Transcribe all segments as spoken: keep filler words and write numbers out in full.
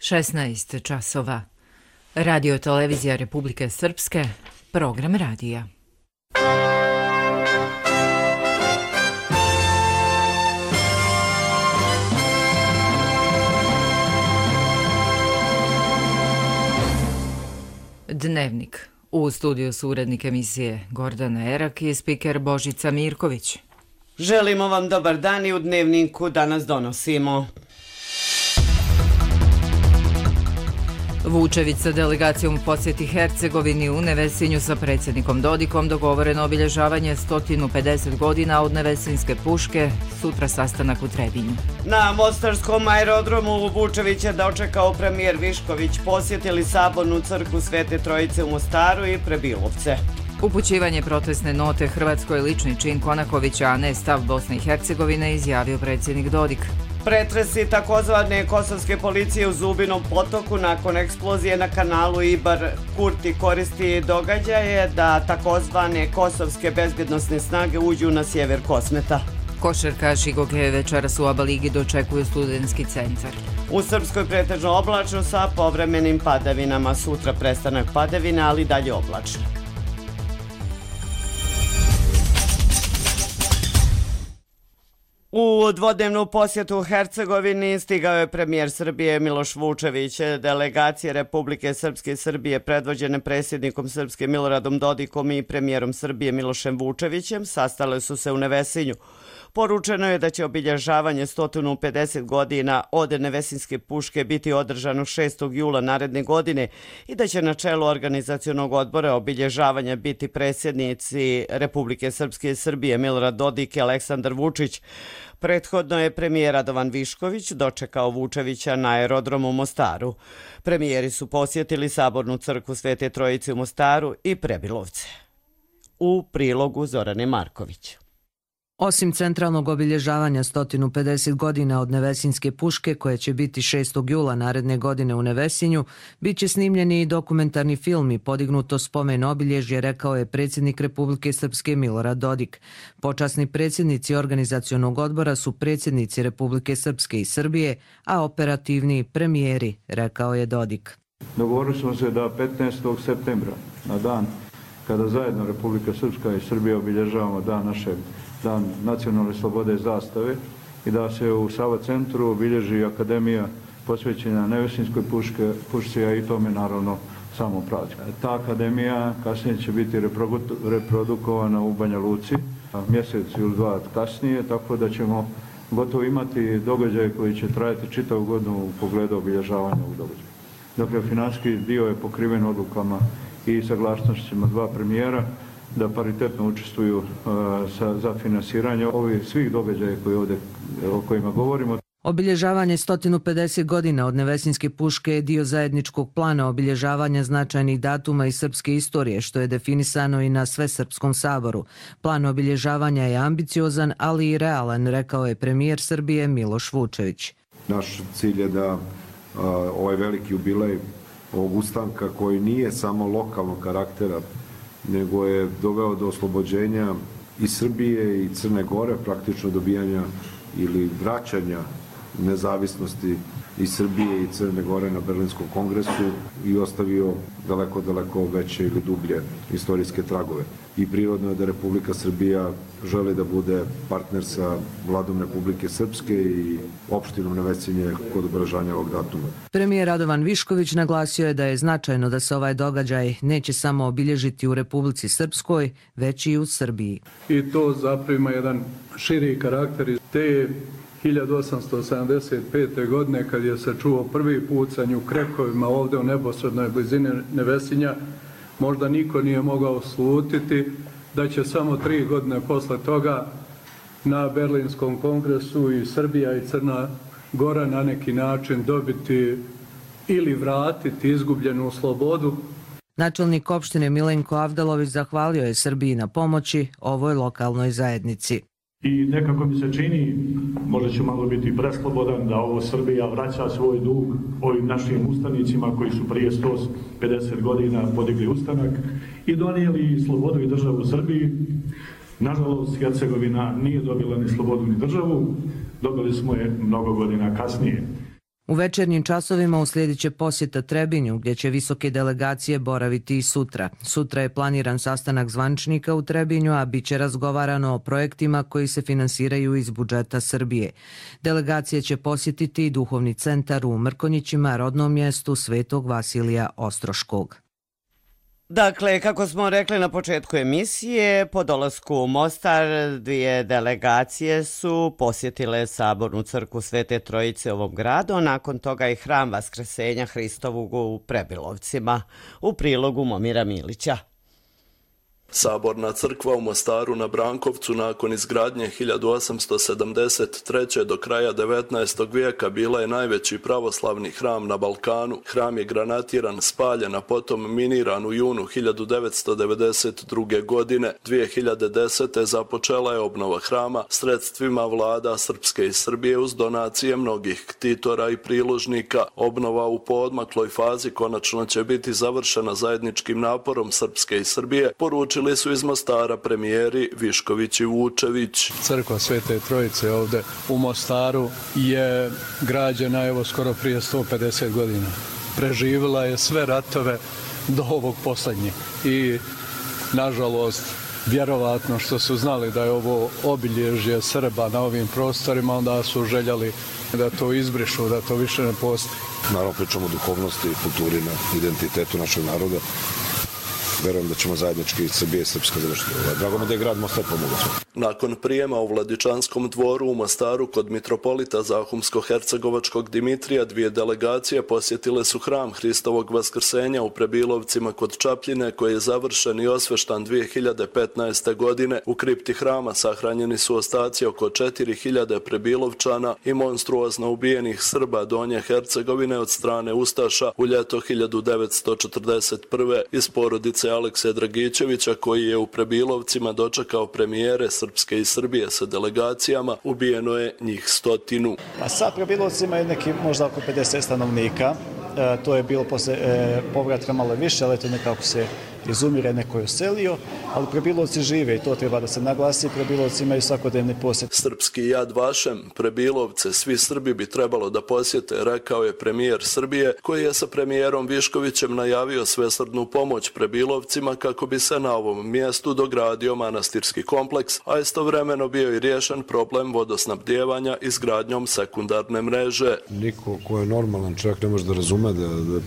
šesnaest časova. Radio televizija Republike Srpske, program radija. Dnevnik. U studiju su urednik emisije Gordana Erak i spiker Božica Mirković. Želimo vam dobar dan i u Dnevniku danas donosimo. Vučević sa delegacijom posjeti Hercegovini. U Nevesinju sa predsjednikom Dodikom dogovoreno obilježavanje sto pedeset godina od Nevesinske puške, sutra sastanak u Trebinju. Na Mostarskom aerodromu Vučević je dočekao premijer Višković, posjetili sabornu crkvu Svete Trojice u Mostaru i Prebilovce. Upućivanje protestne note Hrvatskoj lični čin Konakovića, a ne stav Bosne i Hercegovine, izjavio predsjednik Dodik. Pretresi takozvane kosovske policije u Zubinom potoku nakon eksplozije na kanalu Ibar. Kurti koristi događaje da takozvane kosovske bezbjednosne snage uđu na sjever Kosmeta. Košarkaši Goge večeras u ABA ligi dočekuju studentski centar. U Srpskoj pretežno oblačno sa povremenim padavinama. Sutra prestanak padavina, ali dalje oblačno. U dvodnevnu posjetu Hercegovini stigao je premijer Srbije Miloš Vučević. Delegacije Republike Srpske i Srbije predvođene predsjednikom Srpske Miloradom Dodikom i premijerom Srbije Milošem Vučevićem sastale su se u Nevesinju. Poručeno je da će obilježavanje sto pedeset godina od Nevesinske puške biti održano šestog jula naredne godine i da će na čelu organizacionog odbora obilježavanja biti predsjednici Republike Srpske i Srbije Milorad Dodik i Aleksandar Vučić. Prethodno je premijer Radovan Višković dočekao Vučevića na aerodromu u Mostaru. Premijeri su posjetili sabornu crkvu Svete Trojice u Mostaru i Prebilovce. U prilogu Zorane Marković. Osim centralnog obilježavanja sto pedeset godina od Nevesinske puške, koje će biti šestog jula naredne godine u Nevesinju, bit će snimljeni i dokumentarni film i podignuto spomen obilježje, rekao je predsjednik Republike Srpske Milorad Dodik. Počasni predsjednici organizacionog odbora su predsjednici Republike Srpske i Srbije, a operativni premijeri, rekao je Dodik. Dogovorili smo se da petnaestog septembra, na dan kada zajedno Republika Srpska i Srbija obilježavamo dan našeg Dan nacionalne slobode zastave i da se u Sava centru obilježi akademija posvećena Nevesinskoj puške, pušci, a i tome naravno samo praznik. Ta akademija kasnije će biti reprodukovana u Banja Luci, mjesec ili dva kasnije, tako da ćemo gotovo imati događaje koji će trajati čitavu godinu u pogledu obilježavanja ovog događaja. Dakle, financijski dio je pokriven odlukama i saglasnostima dva premijera da paritetno učestvuju uh, sa, za finansiranje ovih svih događaja koji ovdje, o kojima govorimo. Obilježavanje sto pedeset godina od Nevesinske puške je dio zajedničkog plana obilježavanja značajnih datuma iz srpske istorije, što je definisano i na Svesrpskom saboru. Plan obilježavanja je ambiciozan, ali i realan, rekao je premijer Srbije Miloš Vučević. Naš cilj je da uh, ovaj veliki jubilej ovog ustanka, koji nije samo lokalnog karaktera, nego je doveo do oslobođenja i Srbije i Crne Gore, praktično dobijanja ili vraćanja nezavisnosti i Srbije i Crne Gore na Berlinskom kongresu i ostavio daleko, daleko veće ili dublje istorijske tragove. I prirodno je da Republika Srbija želi da bude partner sa vladom Republike Srpske i opštinom Nevesinje kod obeležavanja ovog datuma. Premijer Radovan Višković naglasio je da je značajno da se ovaj događaj neće samo obilježiti u Republici Srpskoj, već i u Srbiji. I to zaprima jedan širi karakter iz te hiljadu osamsto sedamdeset pete. godine, kad je se čuo prvi pucanj u Krekovima ovdje u neposrednoj blizini Nevesinja, možda niko nije mogao slutiti da će samo tri godine posle toga na Berlinskom kongresu i Srbija i Crna Gora na neki način dobiti ili vratiti izgubljenu slobodu. Načelnik opštine Milenko Avdalović zahvalio je Srbiji na pomoći ovoj lokalnoj zajednici. I nekako mi se čini, možda ću malo biti preslobodan, da ovo Srbija vraća svoj dug ovim našim ustanicima koji su prije sto pedeset godina podigli ustanak i donijeli slobodu i državu Srbiji. Nažalost, Hercegovina nije dobila ni slobodu ni državu, dobili smo je mnogo godina kasnije. U večernjim časovima uslijedit će posjeta Trebinju, gdje će visoke delegacije boraviti i sutra. Sutra je planiran sastanak zvančnika u Trebinju, a bit će razgovarano o projektima koji se finansiraju iz budžeta Srbije. Delegacije će posjetiti i duhovni centar u Mrkonjićima, rodnom mjestu Svetog Vasilija Ostroškog. Dakle, kako smo rekli na početku emisije, po dolasku u Mostar dvije delegacije su posjetile Sabornu crkvu Svete Trojice u ovom gradu, nakon toga i hram Vaskrsenja Hristovog u Prebilovcima. U prilogu Momira Milića. Saborna crkva u Mostaru na Brankovcu nakon izgradnje hiljadu osamsto sedamdeset treće. do kraja devetnaestog vijeka bila je najveći pravoslavni hram na Balkanu. Hram je granatiran, spaljen, a potom miniran u junu hiljadu devetsto devedeset druge. godine. dvije hiljade desete. započela je obnova hrama sredstvima vlada Srpske i Srbije uz donacije mnogih ktitora i priložnika. Obnova u poodmakloj fazi konačno će biti završena zajedničkim naporom Srpske i Srbije, poručili su iz Mostara premijeri Višković i Vučević. Crkva Svete Trojice ovdje u Mostaru je građena evo skoro prije sto pedeset godina. Preživjela je sve ratove do ovog posljednjeg i nažalost vjerovatno što su znali da je ovo obilježje Srba na ovim prostorima, onda su željeli da to izbrišu, da to više ne postoji. Naravno pričamo o duhovnosti i kulturi, na identitetu našeg naroda. Verujem da ćemo zajednički Srbije i Srpska završiti. Drago mi da je grad Mostar pomogao. Nakon prijema u Vladičanskom dvoru u Mostaru kod mitropolita Zahumsko-Hercegovačkog Dimitrija, dvije delegacije posjetile su hram Hristovog Vaskrsenja u Prebilovcima kod Čapljine, koji je završen i osveštan dvije hiljade petnaeste. godine. U kripti hrama sahranjeni su ostaci oko četiri hiljade Prebilovčana i monstruozno ubijenih Srba Donje Hercegovine od strane Ustaša u ljeto hiljadu devetsto četrdeset prve. iz porodice Alekse Dragičevića, koji je u Prebilovcima dočekao premijere Srpske i Srbije sa delegacijama, ubijeno je njih stotinu. A sad Prebilovcima je neki možda oko pedeset stanovnika. E, to je bilo posle e, povratka malo više, ali to nekako se izumire, neko je uselio, ali Prebilovci žive i to treba da se naglasi. Prebilovci imaju svakodnevni posjet. Srpski Jad Vašem, Prebilovce, svi Srbi bi trebalo da posjete, rekao je premijer Srbije, koji je sa premijerom Viškovićem najavio svesrdnu pomoć Prebilovcima kako bi se na ovom mjestu dogradio manastirski kompleks, a istovremeno bio i riješen problem vodosnabdijevanja izgradnjom sekundarne mreže. Niko ko je normalan čovjek ne može da razume da, da,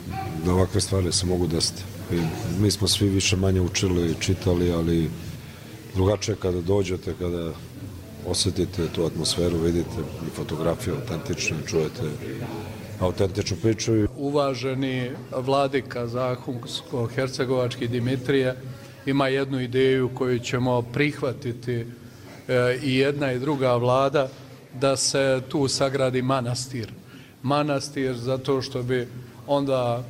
da ovakve stvari se mogu desiti. I mi smo svi više manje učili, čitali, ali drugačije kada dođete, kada osjetite tu atmosferu, vidite i fotografiju autentične, čujete autentičnu priču. Uvaženi vladika Zahumsko-Hercegovački Dimitrije ima jednu ideju koju ćemo prihvatiti e, i jedna i druga vlada, da se tu sagradi manastir. Manastir zato što bi onda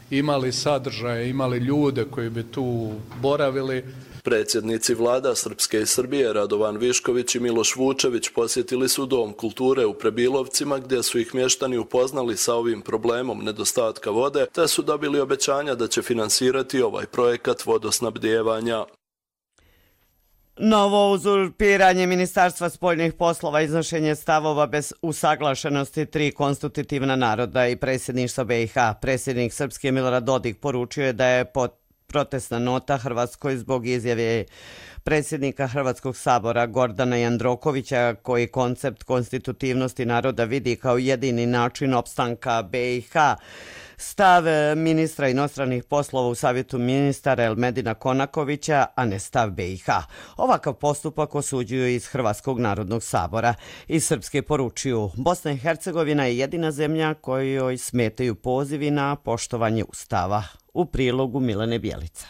imali sadržaje, imali ljude koji bi tu boravili. Predsjednici vlada Srpske i Srbije Radovan Višković i Miloš Vučević posjetili su Dom kulture u Prebilovcima, gdje su ih mještani upoznali sa ovim problemom nedostatka vode, te su dobili obećanja da će finansirati ovaj projekat vodosnabdijevanja. Novo uzurpiranje Ministarstva spoljnih poslova, iznošenje stavova bez usaglašenosti tri konstitutivna naroda i predsjedništva B i H. Predsjednik Srpske Milorad Dodik poručio je da je protestna nota Hrvatskoj zbog izjave predsjednika Hrvatskog sabora Gordana Jandrokovića, koji koncept konstitutivnosti naroda vidi kao jedini način opstanka B i H. Stav ministra inostranih poslova u Savjetu ministara Elmedina Konakovića, a ne stav B i H. Ovakav postupak osuđuju iz Hrvatskog narodnog sabora. Iz Srpske poručuju, Bosna i Hercegovina je jedina zemlja kojoj smetaju pozivi na poštovanje Ustava. U prilogu Milene Bjelica.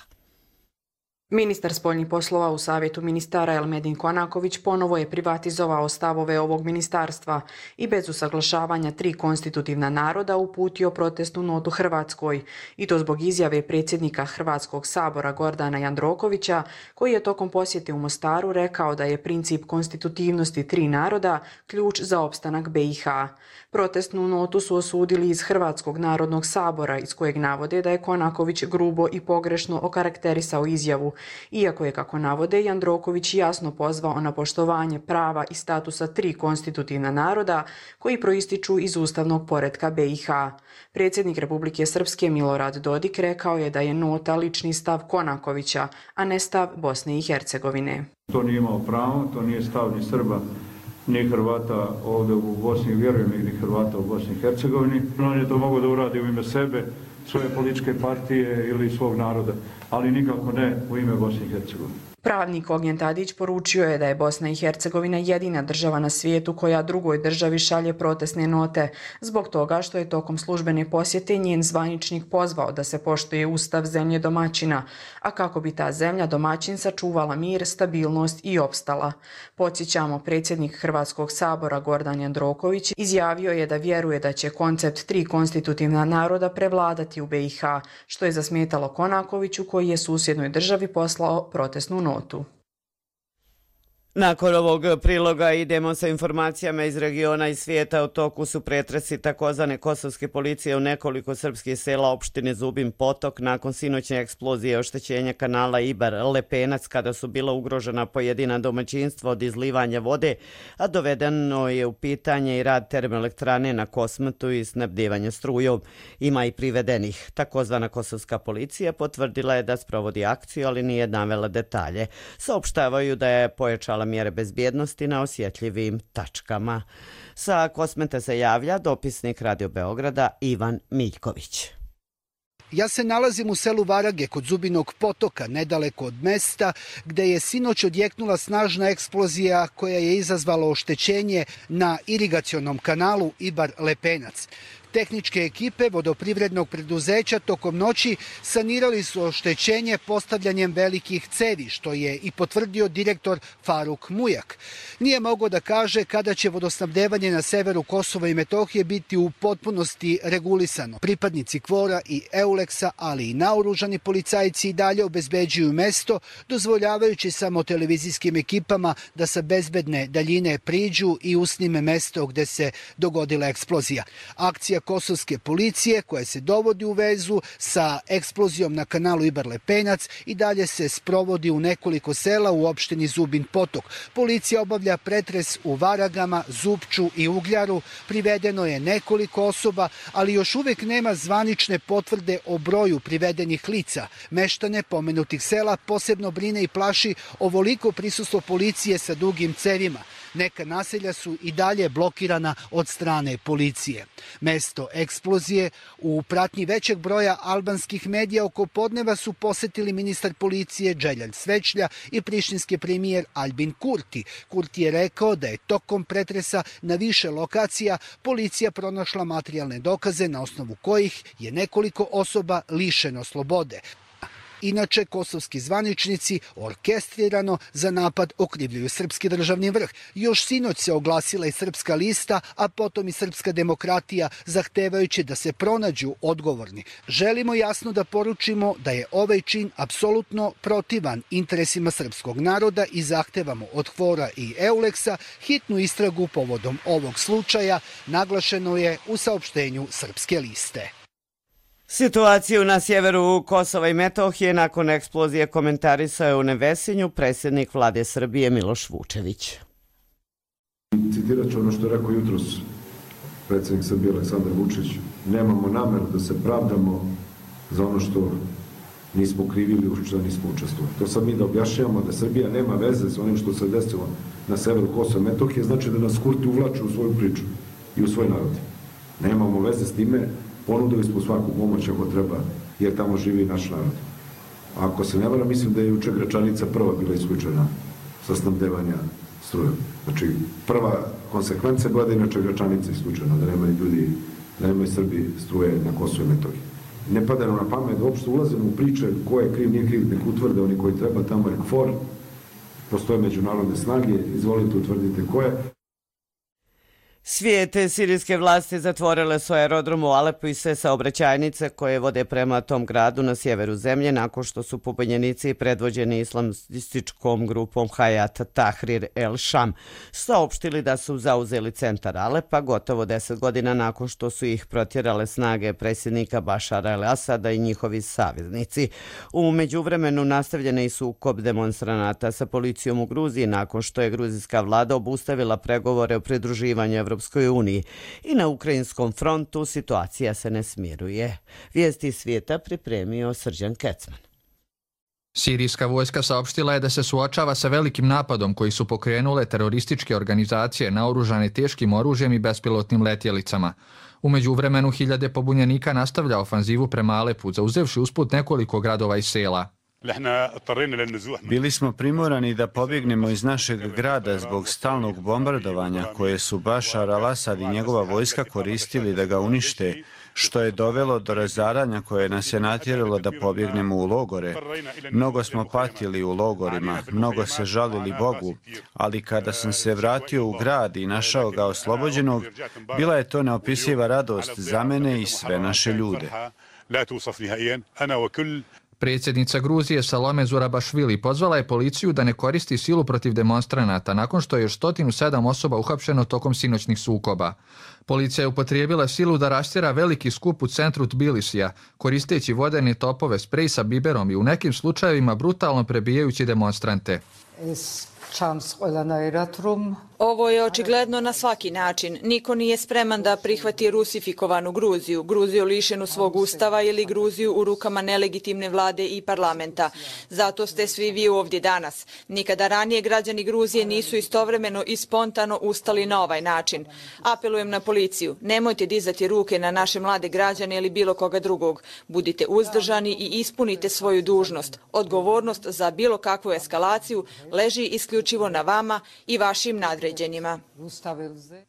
Ministar spoljnih poslova u Savjetu ministara Elmedin Konaković ponovo je privatizovao stavove ovog ministarstva i bez usaglašavanja tri konstitutivna naroda uputio protestnu notu Hrvatskoj, i to zbog izjave predsjednika Hrvatskog sabora Gordana Jandrokovića, koji je tokom posjete u Mostaru rekao da je princip konstitutivnosti tri naroda ključ za opstanak B i H. Protestnu notu su osudili iz Hrvatskog narodnog sabora, iz kojeg navode da je Konaković grubo i pogrešno okarakterisao izjavu iako je, kako navode, Jandroković jasno pozvao na poštovanje prava i statusa tri konstitutivna naroda koji proističu iz ustavnog poretka B i H. Predsjednik Republike Srpske Milorad Dodik rekao je da je nota lični stav Konakovića, a ne stav Bosne i Hercegovine. To nije imao pravo, to nije stav ni Srba, ni Hrvata ovdje u Bosni, vjerujem ni Hrvata u Bosni i Hercegovini. On je to mogao da uradi u ime sebe, svoje političke partije ili svog naroda, ali nikako ne u ime Bosne i Hercegovine. Pravnik Ognjen Tadić poručio je da je Bosna i Hercegovina jedina država na svijetu koja drugoj državi šalje protestne note, zbog toga što je tokom službene posjete njen zvaničnik pozvao da se poštuje ustav zemlje domaćina, a kako bi ta zemlja domaćin sačuvala mir, stabilnost i opstala. Podsjećamo, predsjednik Hrvatskog sabora Gordan Jandroković izjavio je da vjeruje da će koncept tri konstitutivna naroda prevladati u B i H, što je zasmetalo Konakoviću koji je susjednoj državi poslao protestnu notu. Nakon ovog priloga idemo sa informacijama iz regiona i svijeta. U toku su pretresi takozvane kosovske policije u nekoliko srpskih sela opštine Zubin Potok nakon sinoćne eksplozije oštećenja kanala Ibar-Lepenac kada su bila ugrožena pojedina domaćinstva od izlivanja vode, a dovedeno je u pitanje i rad termoelektrane na Kosmatu i snabdevanje strujom. Ima i privedenih. Takozvana kosovska policija potvrdila je da sprovodi akciju, ali nije navela detalje. Saopštavaju da je pojačala mjere bezbjednosti na osjetljivim tačkama. Sa Kosmeta se javlja dopisnik Radio Beograda Ivan Miljković. Ja se nalazim u selu Varage kod Zubinog potoka, nedaleko od mesta, gde je sinoć odjeknula snažna eksplozija koja je izazvala oštećenje na irigacionom kanalu Ibar-Lepenac. Tehničke ekipe vodoprivrednog preduzeća tokom noći sanirali su oštećenje postavljanjem velikih cevi, što je i potvrdio direktor Faruk Mujak. Nije mogao da kaže kada će vodosnabdevanje na severu Kosova i Metohije biti u potpunosti regulisano. Pripadnici Kvora i Euleksa, ali i naoružani policajci i dalje obezbeđuju mesto, dozvoljavajući samo televizijskim ekipama da sa bezbedne daljine priđu i usnime mesto gde se dogodila eksplozija. Akcija kosovske policije koja se dovodi u vezu sa eksplozijom na kanalu Ibar-Lepenac i dalje se sprovodi u nekoliko sela u opštini Zubin Potok. Policija obavlja pretres u Varagama, Zupču i Ugljaru. Privedeno je nekoliko osoba, ali još uvijek nema zvanične potvrde o broju privedenih lica. Meštane pomenutih sela posebno brine i plaši ovoliko prisustvo policije sa dugim cevima. Neka naselja su i dalje blokirana od strane policije. Mesto eksplozije u pratnji većeg broja albanskih medija oko podneva su posetili ministar policije Dželjan Svećlja i prištinski premijer Albin Kurti. Kurti je rekao da je tokom pretresa na više lokacija policija pronašla materijalne dokaze na osnovu kojih je nekoliko osoba lišeno slobode. Inače, kosovski zvaničnici orkestrirano za napad okrivljuju srpski državni vrh. Još sinoć se oglasila i Srpska lista, a potom i Srpska demokratija, zahtevajući da se pronađu odgovorni. Želimo jasno da poručimo da je ovaj čin apsolutno protivan interesima srpskog naroda i zahtevamo od Kvora i Euleksa hitnu istragu povodom ovog slučaja, naglašeno je u saopštenju Srpske liste. Situaciju na sjeveru Kosova i Metohije nakon eksplozije komentarisao je u Nevesinju predsjednik vlade Srbije Miloš Vučević. Citirat ću ono što je rekao jutros predsjednik Srbije Aleksandar Vučić. Nemamo nameru da se pravdamo za ono što nismo krivili, u što nismo učestvovali. To sad mi da objašnjavamo da Srbija nema veze s onim što se desilo na severu Kosova i Metohije, znači da nas Kurti uvlače u svoju priču i u svoj narod. Nemamo veze s time. Ponudili smo svaku pomoć ako treba, jer tamo živi naš narod. A ako se ne vara, mislim da je juče Gračanica prva bila isključena sa snabdevanja strujom. Znači, prva konsekvenca bila da je inače Gračanica isključena, da nemaju ljudi, da nemaju Srbi struje na Kosovo i Metohiji. Ne pada nam na pamet da uopšte ulazimo u priče ko je kriv, nije kriv, nek utvrde oni koji treba, tamo je KFOR, postoje međunarodne snage, izvolite utvrdite ko je. Svijete sirijske vlasti zatvorile su aerodrom u Alepu i sve saobraćajnice koje vode prema tom gradu na sjeveru zemlje nakon što su pobunjenici predvođeni islamističkom grupom Hayat Tahrir el-Sham saopštili da su zauzeli centar Alepa gotovo deset godina nakon što su ih protjerale snage predsjednika Bašara el-Asada i njihovi saveznici. U međuvremenu nastavljen je i sukob demonstranata sa policijom u Gruziji nakon što je gruzijska vlada obustavila pregovore o pridruživanju Evropskoj uniji i na ukrajinskom frontu situacija se ne smiruje. Vijesti svijeta pripremio Srđan Kecman. Sirijska vojska saopštila je da se suočava sa velikim napadom koji su pokrenule terorističke organizacije naoružane teškim oružjem i bespilotnim letjelicama. U međuvremenu hiljade pobunjenika nastavlja ofanzivu prema Alepu, zauzevši usput nekoliko gradova i sela. Bili smo primorani da pobjegnemo iz našeg grada zbog stalnog bombardovanja koje su Bašar al-Asad i njegova vojska koristili da ga unište, što je dovelo do razaranja koje nas je natjeralo da pobjegnemo u logore. Mnogo smo patili u logorima, mnogo se žalili Bogu, ali kada sam se vratio u grad i našao ga oslobođenog, bila je to neopisiva radost za mene i sve naše ljude. Predsjednica Gruzije Salome Zurabašvili pozvala je policiju da ne koristi silu protiv demonstranata nakon što je još sto sedam osoba uhapšeno tokom sinoćnih sukoba. Policija je upotrijebila silu da rastjera veliki skup u centru Tbilisija, koristeći vodene topove, sprej sa biberom i u nekim slučajevima brutalno prebijajući demonstrante. Ovo je očigledno na svaki način. Niko nije spreman da prihvati rusifikovanu Gruziju, Gruziju lišenu svog ustava ili Gruziju u rukama nelegitimne vlade i parlamenta. Zato ste svi vi ovdje danas. Nikada ranije građani Gruzije nisu istovremeno i spontano ustali na ovaj način. Apelujem na policiju, nemojte dizati ruke na naše mlade građane ili bilo koga drugog. Budite uzdržani i ispunite svoju dužnost. Odgovornost za bilo kakvu eskalaciju leži isključivo na vama i vašim nadređenima.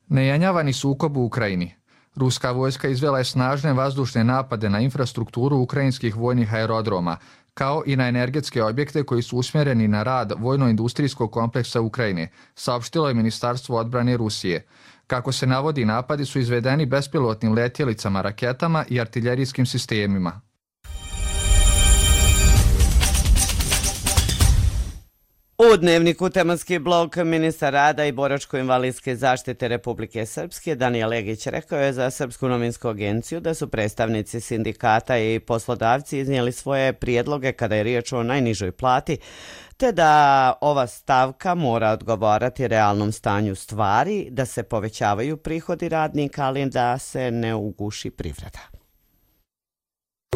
Nejanjavani sukob u Ukrajini. Ruska vojska izvela je snažne vazdušne napade na infrastrukturu ukrajinskih vojnih aerodroma, kao i na energetske objekte koji su usmjereni na rad vojno-industrijskog kompleksa Ukrajine, saopštilo je Ministarstvo odbrane Rusije. Kako se navodi, napadi su izvedeni bespilotnim letjelicama, raketama i artiljerijskim sistemima. U Dnevniku tematski blok ministar rada i boračko-invalidske zaštite Republike Srpske Danijel Legić rekao je za Srpsku novinsku agenciju da su predstavnici sindikata i poslodavci iznijeli svoje prijedloge kada je riječ o najnižoj plati, te da ova stavka mora odgovarati realnom stanju stvari, da se povećavaju prihodi radnika, ali da se ne uguši privreda.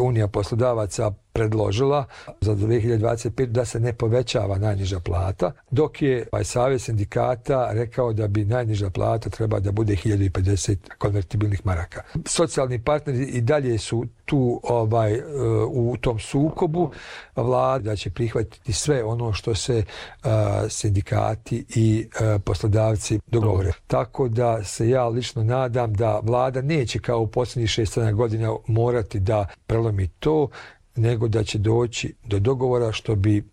Unija poslodavaca predložila za dvije hiljade dvadeset pete. da se ne povećava najniža plata, dok je ovaj savez sindikata rekao da bi najniža plata treba da bude hiljadu pedeset konvertibilnih maraka. Socijalni partneri i dalje su tu ovaj, u tom sukobu. Vlada će prihvatiti sve ono što se uh, sindikati i uh, poslodavci dogovore. Tako da se ja lično nadam da vlada neće kao u posljednjih šest sedam godina morati da prelomi to, nego da će doći do dogovora što bi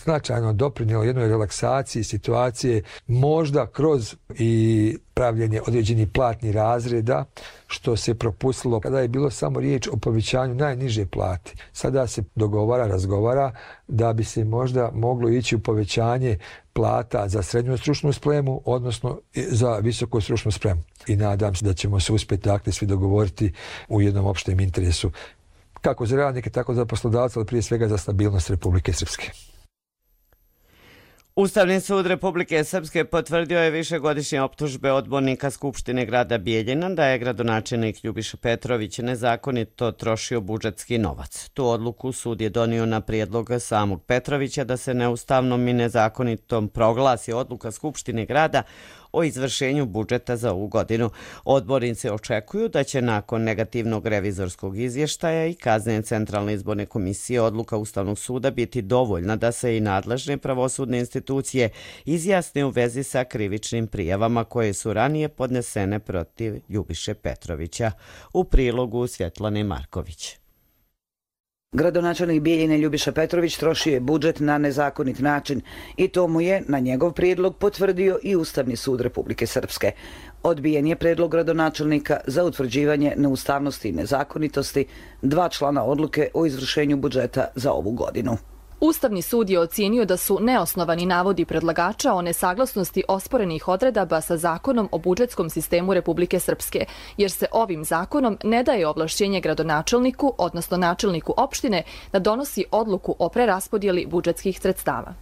značajno doprinijelo jednoj relaksaciji situacije, možda kroz i pravljenje određenih platnih razreda, što se propustilo kada je bilo samo riječ o povećanju najniže plate. Sada se dogovara, razgovara da bi se možda moglo ići u povećanje plata za srednju stručnu spremu, odnosno za visoku stručnu spremu. I nadam se da ćemo se uspjeti dakle svi dogovoriti u jednom opštem interesu, kako za radnike, tako za poslodavce, ali prije svega za stabilnost Republike Srpske. Ustavni sud Republike Srpske potvrdio je višegodišnje optužbe odbornika Skupštine grada Bijeljina da je gradonačelnik Ljubiša Petrović nezakonito trošio budžetski novac. Tu odluku sud je donio na prijedlog samog Petrovića da se neustavnom i nezakonitom proglasi odluka Skupštine grada o izvršenju budžeta za ovu godinu. Odbornici očekuju da će nakon negativnog revizorskog izvještaja i kazne Centralne izborne komisije odluka Ustavnog suda biti dovoljna da se i nadležne pravosudne institucije izjasne u vezi sa krivičnim prijavama koje su ranije podnesene protiv Ljubiše Petrovića. U prilogu Svjetlane Marković. Gradonačelnik Bijeljine Ljubiša Petrović trošio je budžet na nezakonit način i to mu je na njegov prijedlog potvrdio i Ustavni sud Republike Srpske. Odbijen je predlog gradonačelnika za utvrđivanje neustavnosti i nezakonitosti dva člana odluke o izvršenju budžeta za ovu godinu. Ustavni sud je ocijenio da su neosnovani navodi predlagača o nesaglasnosti osporenih odredaba sa zakonom o budžetskom sistemu Republike Srpske, jer se ovim zakonom ne daje ovlašćenje gradonačelniku, odnosno načelniku opštine, da donosi odluku o preraspodjeli budžetskih sredstava.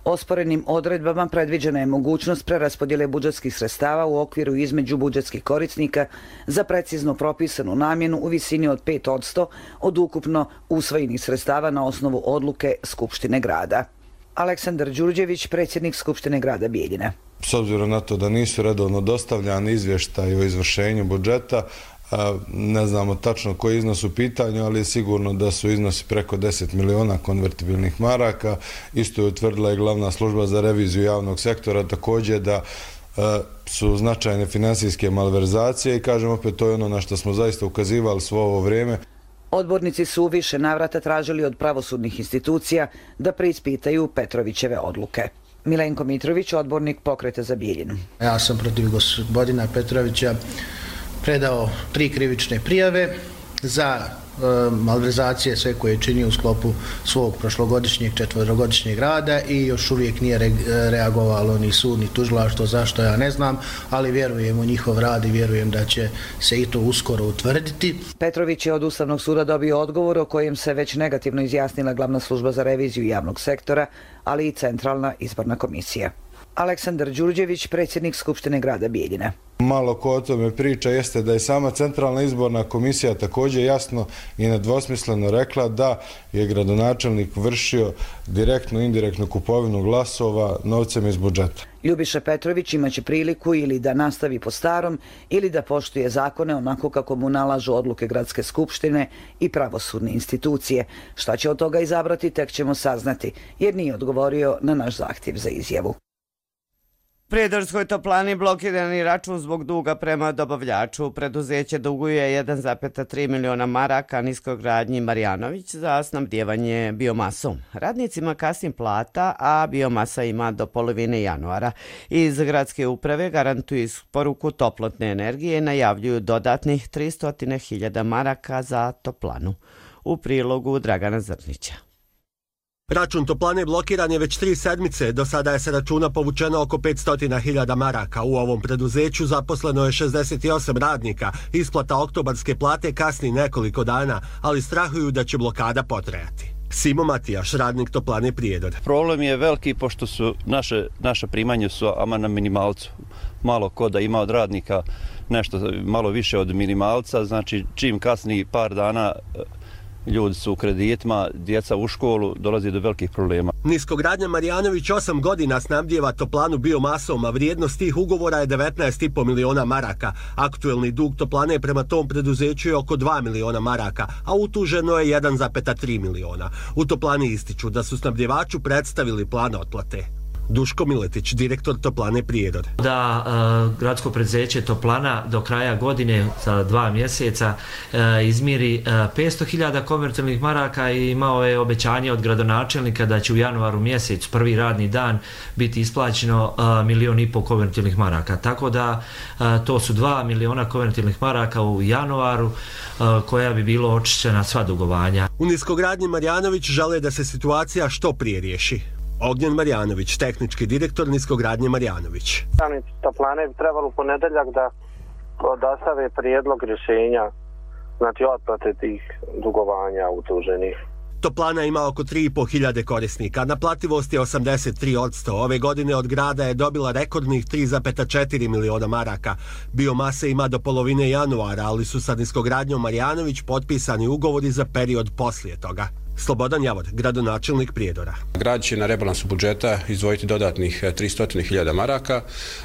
Osporenim odredbama predviđena je mogućnost preraspodjele budžetskih sredstava u okviru između budžetskih korisnika za precizno propisanu namjenu u visini od pet posto od ukupno usvojenih sredstava na osnovu odluke Skupštine grada. Aleksandar Đurđević, predsjednik Skupštine grada Bijeljine. S obzirom na to da nisu redovno dostavljani izvještaj o izvršenju budžeta, ne znamo tačno koji iznos u pitanju, ali je sigurno da su iznosi preko deset miliona konvertibilnih maraka. Isto je utvrdila i glavna služba za reviziju javnog sektora, također da su značajne finansijske malverzacije i kažem opet, to je ono na što smo zaista ukazivali svo ovo vrijeme. Odbornici su u više navrata tražili od pravosudnih institucija da preispitaju Petrovićeve odluke. Milenko Mitrović, odbornik Pokreta za Bijeljinu. Ja sam protiv gospodina Petrovića predao tri krivične prijave za e, malverzacije sve koje je činio u sklopu svog prošlogodišnjeg četvrogodišnjeg rada i još uvijek nije re, reagovalo ni sud ni tužilaštvo, zašto ja ne znam, ali vjerujem u njihov rad i vjerujem da će se i to uskoro utvrditi. Petrović je od Ustavnog suda dobio odgovor o kojem se već negativno izjasnila glavna služba za reviziju javnog sektora, ali i Centralna izborna komisija. Aleksandar Đurđević, predsjednik Skupštine grada Bijeljine. Malo ko o tome priča jeste da je sama Centralna izborna komisija također jasno i nedvosmisleno rekla da je gradonačelnik vršio direktnu i indirektnu kupovinu glasova novcem iz budžeta. Ljubiša Petrović imaće priliku ili da nastavi po starom ili da poštuje zakone onako kako mu nalažu odluke Gradske skupštine i pravosudne institucije. Šta će od toga izabrati, tek ćemo saznati, jer nije odgovorio na naš zahtjev za izjavu. Prijedorskoj toplani blokirani račun zbog duga prema dobavljaču. Preduzeće duguje jedan zarez tri miliona maraka Niskogradnji Marjanović za snabdijevanje biomasom. Radnicima kasni plata, a biomasa ima do polovine januara. Iz gradske uprave garantuju isporuku toplotne energije i najavljuju dodatnih tristo hiljada maraka za toplanu. U prilogu Dragana Zrnića. Račun toplane blokiran je već tri sedmice, do sada je sa računa povučeno oko petsto hiljada maraka. U ovom preduzeću zaposleno je šezdeset osam radnika, isplata oktobarske plate kasni nekoliko dana, ali strahuju da će blokada potrajati. Simo Matijaš, radnik toplane Prijedor. Problem je veliki pošto su naše, naše primanje su ama na minimalcu. Malo ko da ima od radnika nešto malo više od minimalca, znači čim kasni par dana ljudi su u kreditima, djeca u školu, dolazi do velikih problema. Niskogradnja Marjanović osam godina snabdijeva toplanu biomasom, a vrijednost tih ugovora je devetnaest i po miliona maraka. Aktuelni dug toplane prema tom preduzeću je oko dva miliona maraka, a utuženo je jedan zarez tri miliona. U toplani ističu da su snabdjevaču predstavili plan otplate. Duško Miletić, direktor Toplane Prijedor. Da uh, gradsko preduzeće Toplana do kraja godine za dva mjeseca uh, izmiri uh, petsto hiljada konvertibilnih maraka i imao je obećanje od gradonačelnika da će u januaru mjesecu, prvi radni dan, biti isplaćeno uh, milion i pol konvertibilnih maraka. Tako da uh, to su dva miliona konvertibilnih maraka u januaru uh, koja bi bilo očišćena sva dugovanja. U Niskogradnji Marjanović žele da se situacija što prije riješi. Ognjen Marjanović, tehnički direktor Niskogradnje Marjanović. Radnici Toplane bi trebalo u ponedeljak da dostave prijedlog rješenja, znači otplate tih dugovanja utuženih. Toplana ima oko tri i po hiljade korisnika, naplativost je osamdeset tri posto. Ove godine od grada je dobila rekordnih tri zarez četiri miliona maraka. Biomase ima do polovine januara, ali su sa Niskogradnjom Marjanović potpisani ugovori za period poslije toga. Slobodan Javor, gradonačelnik Prijedora. Grad će na rebalansu budžeta izdvojiti dodatnih tristo hiljada maraka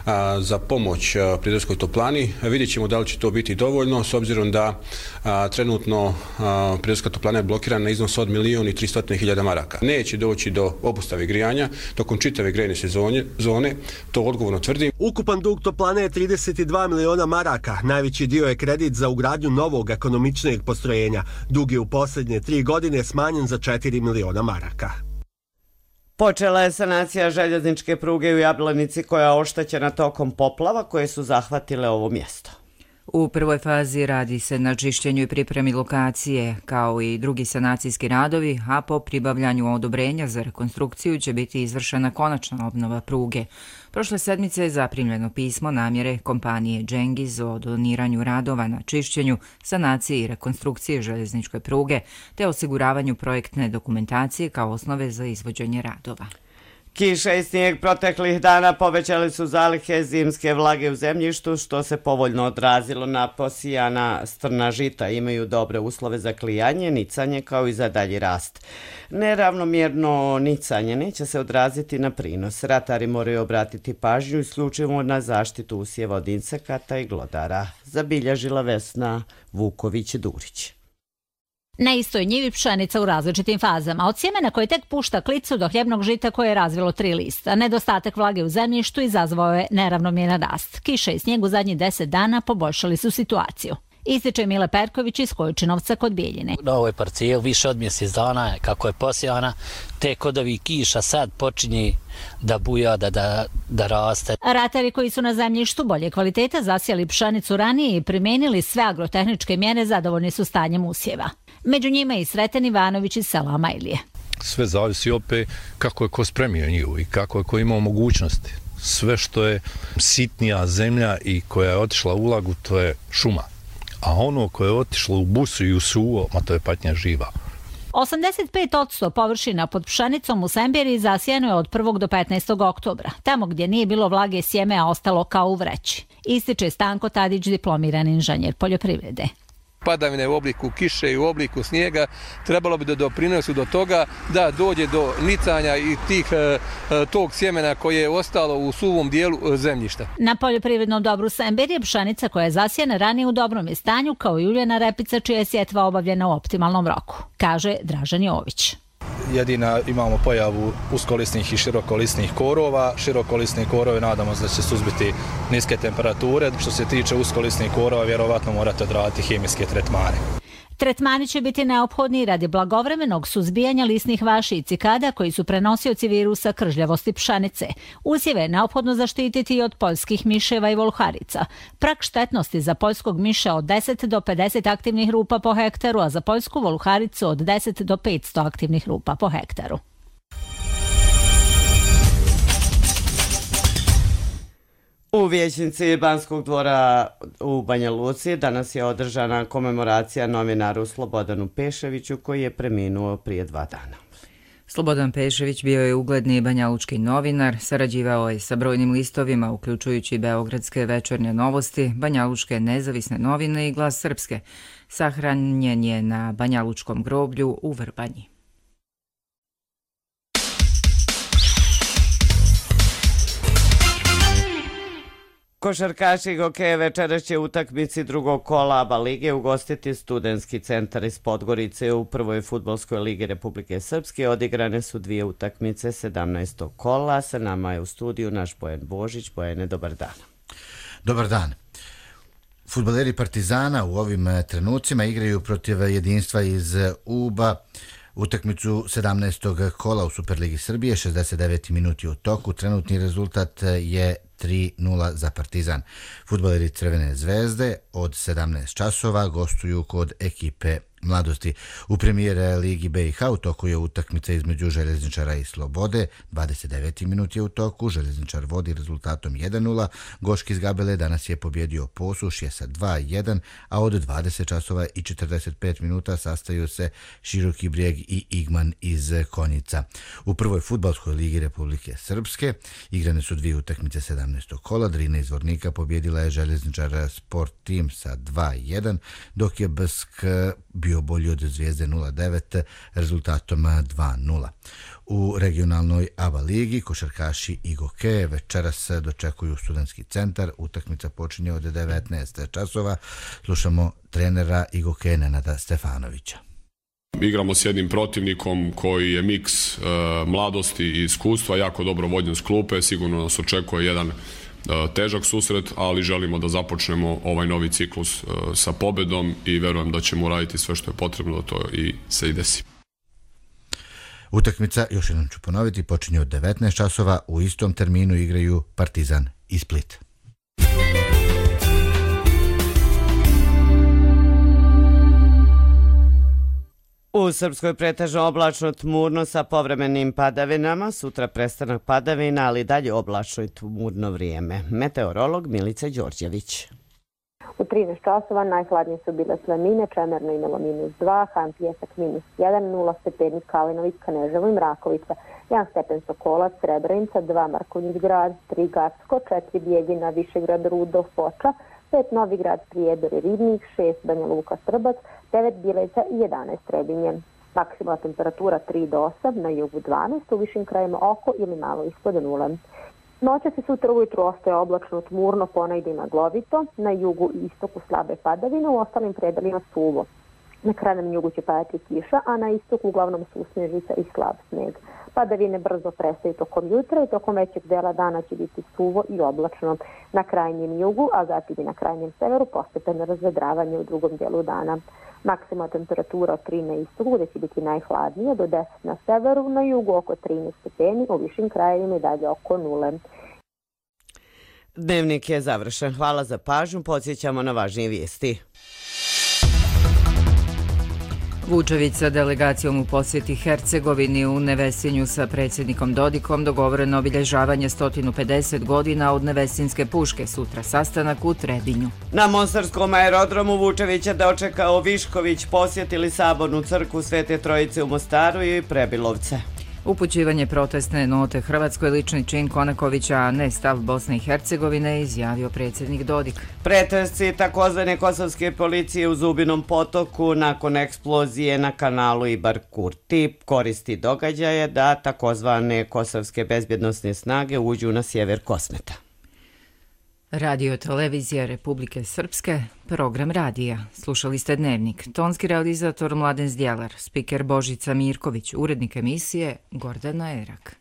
a, za pomoć a, Prijedorskoj toplani. Vidjet ćemo da li će to biti dovoljno, s obzirom da a, trenutno a, Prijedorska toplana je blokirana na iznos od milijun i tristo hiljada maraka. Neće doći do obustave grijanja tokom čitave grejne sezone, zone, to odgovorno tvrdim. Ukupan dug toplane je trideset dva miliona maraka. Najveći dio je kredit za ugradnju novog ekonomičnijeg postrojenja. Dug je u posljednje tri godine smanjen za četiri miliona maraka. Počela je sanacija željezničke pruge u Jablanici koja je oštećena tokom poplava koje su zahvatile ovo mjesto. U prvoj fazi radi se na čišćenju i pripremi lokacije, kao i drugi sanacijski radovi, a po pribavljanju odobrenja za rekonstrukciju će biti izvršena konačna obnova pruge. Prošle sedmice je zaprimljeno pismo namjere kompanije Džengiz o doniranju radova na čišćenju, sanaciji i rekonstrukciji željezničke pruge, te osiguravanju projektne dokumentacije kao osnove za izvođenje radova. Kiša i snijeg proteklih dana povećali su zalihe zimske vlage u zemljištu, što se povoljno odrazilo na posijana strna žita. Imaju dobre uslove za klijanje, nicanje kao i za dalji rast. Neravnomjerno nicanje neće se odraziti na prinos. Ratari moraju obratiti pažnju isključivo na zaštitu usjeva od insekata i glodara. Zabilježila Vesna Vuković-Durić. Na istoj njivi pšenica u različitim fazama, od sjemena koje tek pušta klicu do hljebnog žita koje je razvilo tri lista. Nedostatak vlage u zemljištu izazvao je neravnomjeran rast. Kiša i snijeg u zadnjih deset dana poboljšali su situaciju. Ističe Mile Perković iz Kojičinovca kod Bijeljine. Na ovoj parcijel više od mjesec dana kako je posijana, tek od ovih kiša sad počinje da buja, da, da, da raste. Ratari koji su na zemljištu bolje kvaliteta zasijali pšenicu ranije i primijenili sve agrotehničke mjere zadovoljni su stanjem usjeva. Među njima i Sreten Ivanović iz sela Majlije. Sve zavisi opet kako je ko spremio njivu i kako je ko imao mogućnosti. Sve što je sitnija zemlja i koja je otišla u ulagu, to je šuma. A ono koje je otišlo u busu i u suvo, ma to je patnja živa. osamdeset pet posto površina pod pšenicom u Sembiri zasijeno je od prvog do petnaestog oktobra. Tamo gdje nije bilo vlage sjeme, a ostalo kao u vreći. Ističe Stanko Tadić, diplomirani inženjer poljoprivrede. Padavine u obliku kiše i u obliku snijega trebalo bi da doprinesu do toga da dođe do nicanja i tih tog sjemena koje je ostalo u suvom dijelu zemljišta. Na poljoprivrednom dobru Sember je pšenica koja je zasijena ranije u dobrom je stanju, kao i uljana repica čija je sjetva obavljena u optimalnom roku, kaže Dražen Jović. Jedina imamo pojavu uskolisnih i širokolisnih korova. Širokolisni korovi nadamo se da će suzbiti niske temperature. Što se tiče uskolisnih korova, vjerovatno morate odraditi hemijske tretmane. Tretmani će biti neophodni radi blagovremenog suzbijanja lisnih vaši i cikada koji su prenosioci virusa kržljavosti pšenice. Usjeve je neophodno zaštititi od poljskih miševa i voluharica. Prag štetnosti za poljskog miša od deset do pedeset aktivnih rupa po hektaru, a za poljsku voluharicu od deset do petsto aktivnih rupa po hektaru. U vijećnici Banskog dvora u Banja Luci danas je održana komemoracija novinaru Slobodanu Peševiću koji je preminuo prije dva dana. Slobodan Pešević bio je ugledni banjalučki novinar, sarađivao je sa brojnim listovima, uključujući Beogradske večernje novosti, Banjalučke nezavisne novine i Glas Srpske. Sahranjen je na Banjalučkom groblju u Vrbanji. Košarkaši hokeja večeras će utakmici drugog kola A B A lige ugostiti Studentski centar iz Podgorice u prvoj fudbalskoj ligi Republike Srpske. Odigrane su dvije utakmice sedamnaestog kola. Sa nama je u studiju naš Bojan Božić. Bojane, dobar dan. Dobar dan. Fudbaleri Partizana u ovim trenucima igraju protiv Jedinstva iz Uba. Utakmicu sedamnaestog kola u Superligi Srbije, šezdeset deveti minuti u toku. Trenutni rezultat je tri nula za Partizan. Fudbaleri Crvene zvezde od sedamnaest časova gostuju kod ekipe Mladosti. U premijer Ligi B i H u toku je utakmica između Željezničara i Slobode. dvadeset deveti minut je u toku. Željezničar vodi rezultatom jedan nula. Goški iz Gabele danas je pobjedio Posušje sa dva jedan, a od dvadeset časova i četrdeset pet minuta sastaju se Široki Brijeg i Igman iz Konjica. U prvoj fudbalskoj ligi Republike Srpske igrane su dvije utakmice sedamnaestog kola. Drina iz Vornika pobjedila je Željezničar Sport Team sa dva jedan, dok je B S K bio bio bolji od Zvijezde nula devet rezultatom dva nula. U regionalnoj ABA ligi košarkaši Igoke večeras dočekuju Studentski centar. Utakmica počinje od devetnaest časova. Slušamo trenera Igoke Nenada Stefanovića. Igramo s jednim protivnikom koji je miks e, mladosti i iskustva, jako dobro vođen s klupe, sigurno nas očekuje jedan e, težak susret, ali želimo da započnemo ovaj novi ciklus e, sa pobedom i verujem da ćemo uraditi sve što je potrebno da to i se i desi. Utakmica, još jednom ću ponoviti, počinje od devetnaest časova, u istom terminu igraju Partizan i Split. U Srpskoj pretežno oblačno tmurno sa povremenim padavinama, sutra prestanak padavina, ali dalje oblačno i tmurno vrijeme. Meteorolog Milica Đorđević. U trinaest časova najhladnije su bile Slanine, Čemerno imalo minus dva, Han Pijesak minus jedan, nula stepeni Kalinović, Kaneževo i Mrakovica, jedan stepen Sokolac, Srebrenica, dva Markovnić grad, tri Gacko, četiri Bjeljina, Višegrad, Rudolf, Foča, pet Novigrad, Prijedor i Ribnik, šest Banja Luka, Strbac, devet Bileća i jedanaest Trebinje. Maksimalna temperatura tri do osam, na jugu dvanaest, u višim krajima oko ili malo ispod nule. Noća se sutra ujutru ostaje oblačno, tmurno, ponegdje maglovito, na jugu i istoku slabe padavine, u ostalim predelima suvo. Na krajnjem jugu će padati kiša, a na istoku uglavnom susnežica i slab sneg. Padavine brzo prestaju tokom jutra i tokom većeg dela dana će biti suvo i oblačno. Na krajnjem jugu, a zatim i na krajnjem severu, postepeno razvedravanje u drugom delu dana. Maksimalna temperatura od tri na istoku, gdje će biti najhladnije, do deset na severu, na jugu oko trinaest stepeni, u višim krajevima i dalje oko nule. Dnevnik je završen. Hvala za pažnju. Podsjećamo na važnije vijesti. Vučević sa delegacijom u posjeti Hercegovini. U Nevesinju sa predsjednikom Dodikom dogovoreno obilježavanje sto pedeset godina od Nevesinske puške, sutra sastanak u Trebinju. Na Mostarskom aerodromu Vučevića dočekao Višković, posjetili Sabornu crkvu Svete Trojice u Mostaru i Prebilovce. Upućivanje protestne note Hrvatskoj lični čin Konakovića, a ne stav Bosne i Hercegovine, izjavio predsjednik Dodik. Pretresci takozvane kosovske policije u Zubinom potoku nakon eksplozije na kanalu Ibar Kurti koristi događaje da takozvane kosovske bezbjednosne snage uđu na sjever Kosmeta. Radio televizija Republike Srpske, program radija. Slušali ste Dnevnik. Tonski realizator Mladen Zdjelar, spiker Božica Mirković, urednik emisije Gordana Erak.